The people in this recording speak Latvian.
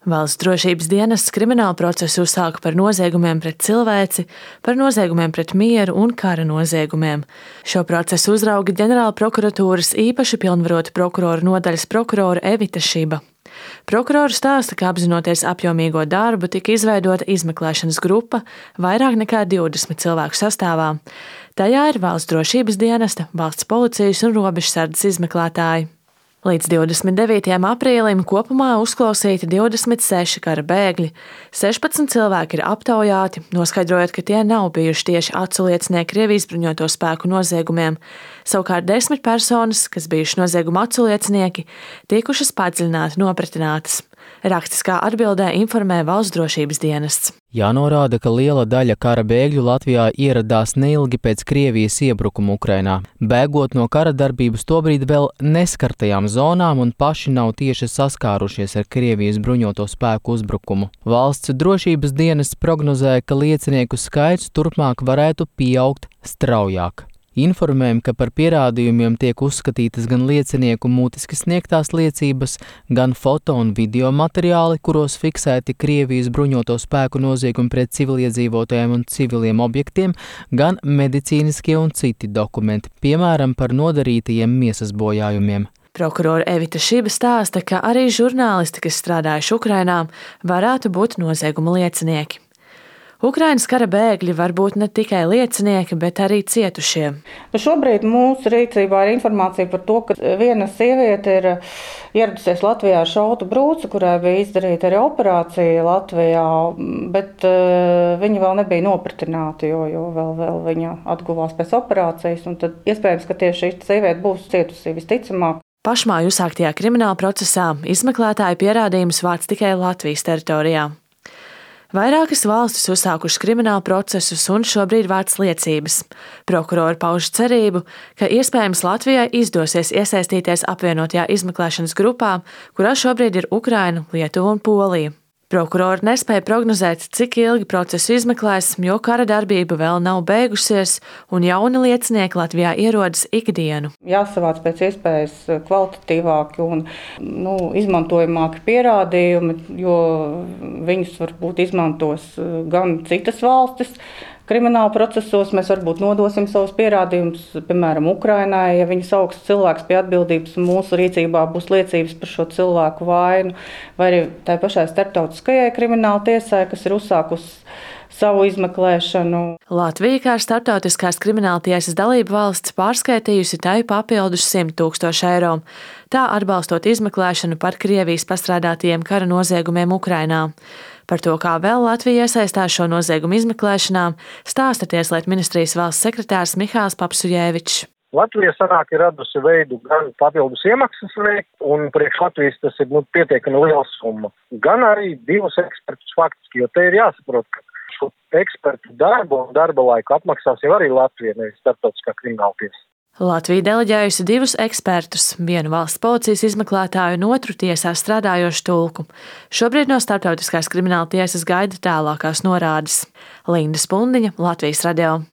Valsts drošības dienests kriminālu procesu uzsāka par noziegumiem pret cilvēci, par noziegumiem pret mieru un kara noziegumiem. Šo procesu uzrauga ģenerāla prokuratūras īpaši pilnvarota prokurora nodaļas prokurora Evita Šiba. Prokurora stāsta, ka apzinoties apjomīgo darbu, tika izveidota izmeklēšanas grupa vairāk nekā 20 cilvēku sastāvā. Tajā ir valsts drošības dienesta, valsts policijas un robežsardzes izmeklētāji. Līdz 29. aprīlim kopumā uzklausīti 26 kara bēgļi, 16 cilvēki ir aptaujāti, noskaidrojot, ka tie nav bijuši tieši aculiecinieki Krievijas bruņoto spēku noziegumiem. Savukārt 10 personas, kas bijuši nozieguma aculiecinieki, tikušas padziļināti nopratinātas. Rakstiskā atbildē informē valsts drošības dienests. Jānorāda, ka liela daļa kara bēgļu Latvijā ieradās neilgi pēc Krievijas iebrukuma Ukrainā, bēgot no kara darbības tobrīd vēl neskartajām zonām un paši nav tieši saskārušies ar Krievijas bruņoto spēku uzbrukumu. Valsts drošības dienests prognozēja, ka liecinieku skaits turpmāk varētu pieaugt straujāk. Informējam, ka par pierādījumiem tiek uzskatītas gan liecinieku mutiski sniegtās liecības, gan foto un video materiāli, kuros fiksēti Krievijas bruņoto spēku noziegumi pret civiliedzīvotājiem un civiliem objektiem, gan medicīniskie un citi dokumenti, piemēram, par nodarītajiem miesas bojājumiem. Prokurora Evita Šiba stāsta, ka arī žurnālisti, kas strādājuši Ukrainā, varētu būt nozieguma liecinieki. Ukrainas kara bēgļi var būt ne tikai liecinieki, bet arī cietušie. Šobrīd mūsu rīcībā ir informācija par to, ka viena sieviete ir ieradusies Latvijā ar šautu brūci, kurai bija izdarīta arī operācija Latvijā, bet viņa vēl nebija nopratināta, jo vēl viņa atguvās pēc operācijas. Un tad iespējams, ka tieši šī sieviete būs cietusī visticamāk. Pašmāju uzsāktajā krimināla procesā izmeklētāji pierādījumus vāc tikai Latvijas teritorijā. Vairākas valstis uzsākušas kriminālu procesus un šobrīd vāc liecības. Prokurori pauž cerību, ka iespējams Latvijai izdosies iesaistīties apvienotajā izmeklēšanas grupā, kurā šobrīd ir Ukraina, Lietuva un Polija. Prokurori nespēja prognozēt, cik ilgi procesu izmeklēs, jo kara darbība vēl nav beigusies un jauni liecinieki Latvijā ierodas ikdienu. Jāsavāc pēc iespējas kvalitatīvāki un izmantojamāki pierādījumi, jo viņus varbūt izmantos gan citas valstis. Krimināla procesos mēs varbūt nodosim savus pierādījumus, piemēram, Ukrainai, ja viņi sauks cilvēks pie atbildības un mūsu rīcībā būs liecības par šo cilvēku vainu, vai arī tai pašai starptautiskajai krimināla tiesai, kas ir uzsākusi savu izmeklēšanu. Latvija kā starptautiskās krimināla tiesas dalība valsts pārskaitījusi tai papildus 100 000 eiro, tā atbalstot izmeklēšanu par Krievijas pastrādātajiem kara noziegumiem Ukrainā. Par to, kā vēl Latvija iesaistās šo noziegumu izmeklēšanā, stāsta Tieslietu ministrijas valsts sekretārs Mihāls Papsujevičs. Latvija sanāk ir radusi veidu gan papildus iemaksas veikt, un priekš Latvijas tas ir pietiekami liela summa. Gan arī 2 ekspertus faktiski, jo te ir jāsaprot, ka šo ekspertu darbu un darba laiku apmaksās jau arī Latvija, nevis starptautiskā krimināla tiesa. Latvija deleģējusi 2 ekspertus, vienu valsts policijas izmeklētāju un otru tiesā strādājošu tulku. Šobrīd no starptautiskās krimināla tiesas gaida tālākās norādes. Linda Spundiņa, Latvijas radio.